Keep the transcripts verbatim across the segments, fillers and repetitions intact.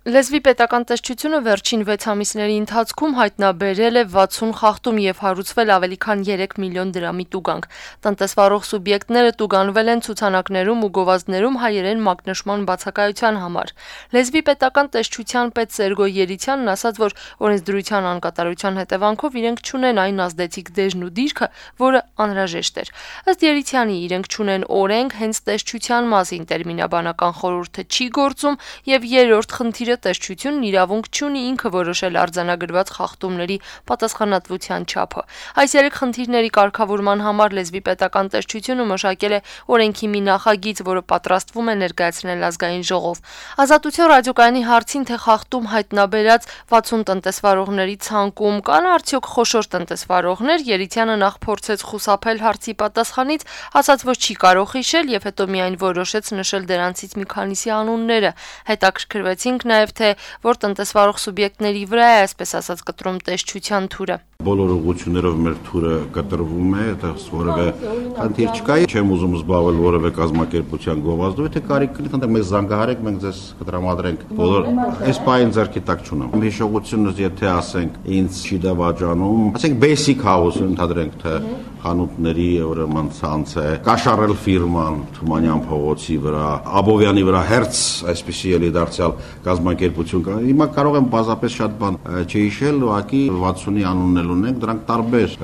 Լեզվի պետական տեսչությունը վերջին վեց ամիսների ընթացքում հայտնաբերել է վաթսուն խախտում եւ հարուցվել ավելի քան երեք միլիոն դրամի տուգանք։ Տնտեսվարող սուբյեկտները տուգանվել են ցուցանակներում ու գովազդներում հայերեն մակնշման բացակայության համար։ Լեզվի պետական տեսչության պետ Սերգո Երիցյանն ասաց, որ օրենսդրության անկատարության հետևանքով իրենք չունեն այն ազդեցիկ դեժն ու դիրքը, որը անհրաժեշտ էր։ Ըստ Երիցյանի, իրենք չունեն օրենք, հենց տեսչության մասին տերմինաբանական խորհուրդը չի գործում եւ երրորդ խնդիրը տեսչությունն իրավունք չունի ինքը որոշել արձանագրված խախտումների պատասխանատվության չափը։ Այս երեք խնդիրների կարգավորման համար Լեզվի պետական տեսչությունը մշակել է օրենքի մի նախագիծ, որը պատրաստվում է ներկայացնել ազգային ժողով։ Ազատություն ռադիոկայանի հարցին, թե խախտում հայտնաբերած վաթսուն տնտեսվարողների ցանկում կան արդյոք խոշոր տնտեսվարողներ, Երիցյանը նախ փորձեց խուսափել հարցի պատասխանից, ասաց, որ չի կարող հիշել եւ հետո միայն որոշեց նշել դրանցից մի քանիսի անունները։ Հետաքրքրվեցինք նաեւ թե որ տնտեսվարող սուբյեկտների վրա է, այսպես ասած, կտրում տեսչության թուրը։ Բոլոր ուղղություններով մեր թուրը կտրվում է, այդպես որևէ խնդիր չկա, չեմ ուզում զբաղվել որևէ կազմակերպության գովազդով, թե կարիք կլինի, ընդ մեզ զանգահարեք, մենք ձեզ կտրամադրենք բոլոր այս պահին ձեռքի տակ չունեմ։ Հիշողությունս, եթե ասենք, ինձ չի դավաճանում, ասենք basic house ընդհանրենք, թե խանութների ուրեմն ցանց է, կաշառել ֆիրման Թումանյան փողոցի վրա, Աբովյանի վրա հերց, այսպեսի էլի դարձյալ կազմակերպություն կա։ Հիմա կարող եմ բազապես շատ բան չհիշել, ուղղակի վաթսունի անունն ունենք, դրանք տարբեր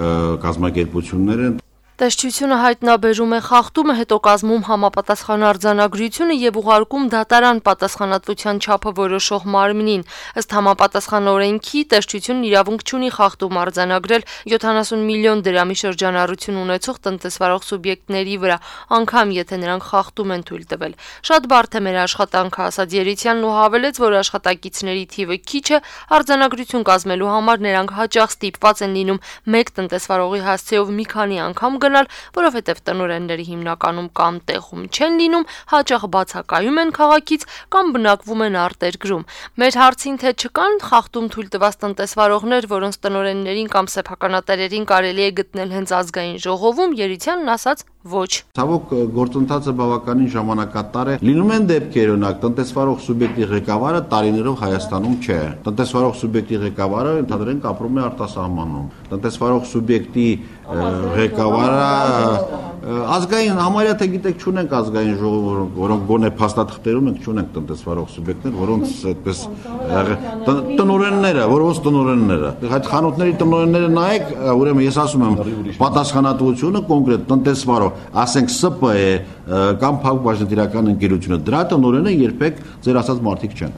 կազմակերպություններ են։ Տեսչությունը հայտնաբերում է խախտումը, հետո կազմում համապատասխան արձանագրությունը եւ ուղարկում դատարան պատասխանատվության չափը որոշող մարմնին։ Ըստ համապատասխան օրենքի տեսչությունն իրավունք չունի խախտում արձանագրել յոթանասուն միլիոն դրամի շրջանառություն ունեցող տնտեսվարող սուբյեկտների վրա, անգամ եթե նրանք խախտում են թույլ տվել։ Շատ բարդ է մեր աշխատանքը, ասաց Երիցյանն ու հավելեց, որ աշխատակիցների թիվը քիչ է, արձանագրություն կազմելու համար նրանք հաճախ ստիպված են լինում մեկ տնտեսվարողի հասցեով մի քանի անգամ որովհետև տնօրենները հիմնականում կամ տեղում չեն լինում, հաճախ բացակայում են քաղաքից կամ բնակվում են արտերկրում։ Մեր հարցին, թե չկան խախտում թույլ տված տնտեսվարողներ, որոնց տնօրեններին կամ սեփականատերերին կարելի է գտնել հենց ազգային ժողովում, Երիցյանն ասաց ոչ։ Ցավոք գործընթացը բավականին ժամանակատար է։ Լինում են դեպքեր, օրինակ տնտեսվարող սուբյեկտի ղեկավարը տարիներով Հայաստանում չէ։ Տնտեսվարող սուբյեկտի ղեկավարը ընդհանրեն ապրում է արտասահմանում։ Տնտեսվարող սուբյեկտի ղեկավարը ազգային համարյա թե գիտեք չունենք ազգային ժողով, որոնք գոնե փաստաթղթերում ենք չունենք տնտեսվարող սուբյեկտներ, որոնց այդպես տնօրենները, որոնց տնօրենները։ Այդ խանութների տնօրենները նայեք, ուրեմն ես ասում եմ, պատասխանատվությունը կոնկրետ տնտեսվարող, ասենք Ս Պ է կամ փակbaşնետիրական ընկերությունը, դրա տնօրենը երբեք ձեր ասած մարդիկ չեն։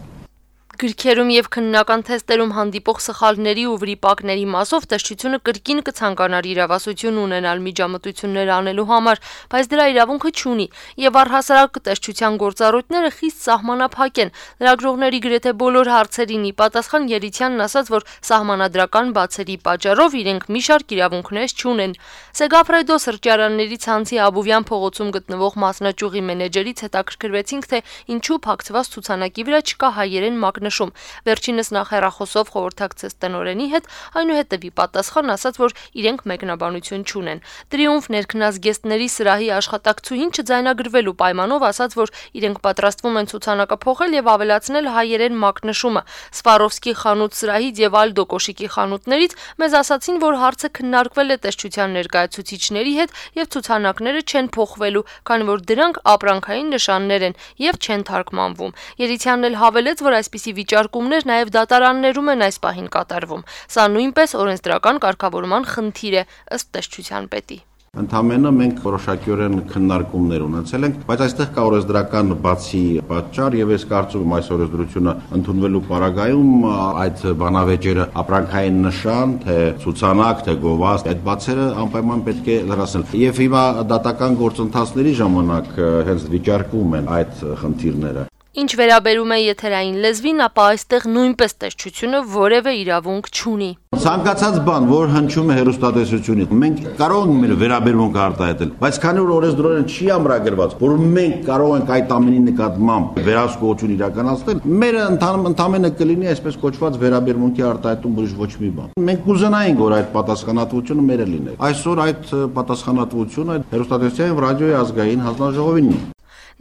Գրքերում եւ քննական թեստերում հանդիպող սխալների ու վրիպակների մասով տեսչությունը կրկին կցանկանար իրավասություն ունենալ միջամտություններ անելու համար, բայց դրա իրավունքը չունի եւ առհասարակ տեսչության գործառույթները խիստ սահմանափակ են։ Լրագրողների գրեթե բոլոր հարցերին ի պատասխան Երիցյանն ասաց, որ սահմանադրական բացերի պատճառով իրենք մի շարք իրավունքներ չունեն։ Սեգաֆրեդո սրճարանների ցանցի Աբովյան փողոցում գտնվող մասնաճյուղի մենեջերից հետաքրքրվեցինք, թե ինչու փակցված ցուցանակի վրա չկա հայերեն մակնշ։ Վերջինս նախ հեռախոսով խորհրդակցեց տնօրենի հետ, այնուհետև ի պատասխան ասաց, որ իրենք մեկնաբանություն չունեն։ Տրիումֆ ներքնազգեստների սրահի աշխատակցուհին չձայնագրվելու պայմանով ասաց, որ իրենք պատրաստվում են ցուցանակը փոխել եւ ավելացնել հայերեն մակնշումը։ Սվարովսկի խանութ սրահից եւ Ալդո կոշիկի խանութներից մեզ ասացին, որ հարցը քննարկվել է տեսչության ներկայացուցիչների հետ եւ ցուցանակները չեն փոխվելու, քանի որ դրանք ապրանքային նշաններ են եւ չեն թարգմանվում։ Երիցյանն էլ հավելեց, որ այսպիսի վիճարկումներ նաև դատարաններում են այս պահին կատարվում։ Սա նույնպես օրենսդրական կարգավորման խնդիր է, ըստ տեսչության պետի։ Ընդամենը մենք որոշակիորեն քննարկումներ ունեցել ենք, բայց այստեղ կա օրենսդրական բացի պատճառ եւ ես կարծում եմ այս օրենսդրությունը ընդունվելու պարագայում այդ բանավեճերը ապրանքային նշան, թե ցուցանակ, թե գովազդ, այդ բացերը անպայման պետք է լրացնել։ Եվ հիմա դատական գործընթացների ժամանակ հենց վիճարկվում են այդ խնդիրները։ Ինչ վերաբերում է եթերային լեզվին, ապա այստեղ նույնպես տեսչությունը որևէ իրավունք չունի։ Ցանկացած բան, որ հնչում է հեռուստատեսությունից, մենք կարող ենք մեր վերաբերմունք արտահայտել, բայց քանի որ օրենսդրորեն չի ամրագրված, որ մենք կարող ենք այդ ամենի նկատմամբ վերահսկողություն իրականացնել, մեր ընդամենը կլինի այսպես կոչված վերաբերմունքի արտահայտում, ուրիշ ոչ մի բան։ Մենք կուզենայինք, որ այդ պատասխանատվությունը մերը լիներ։ Այսօր այդ պատասխանատվությունը հեռուստատեսության եւ ռադիոյի ազգային հանձնաժողովինն է։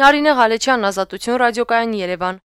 Նարինե Ղալեչյան, Ազատություն ռադիոկայան, Երևան։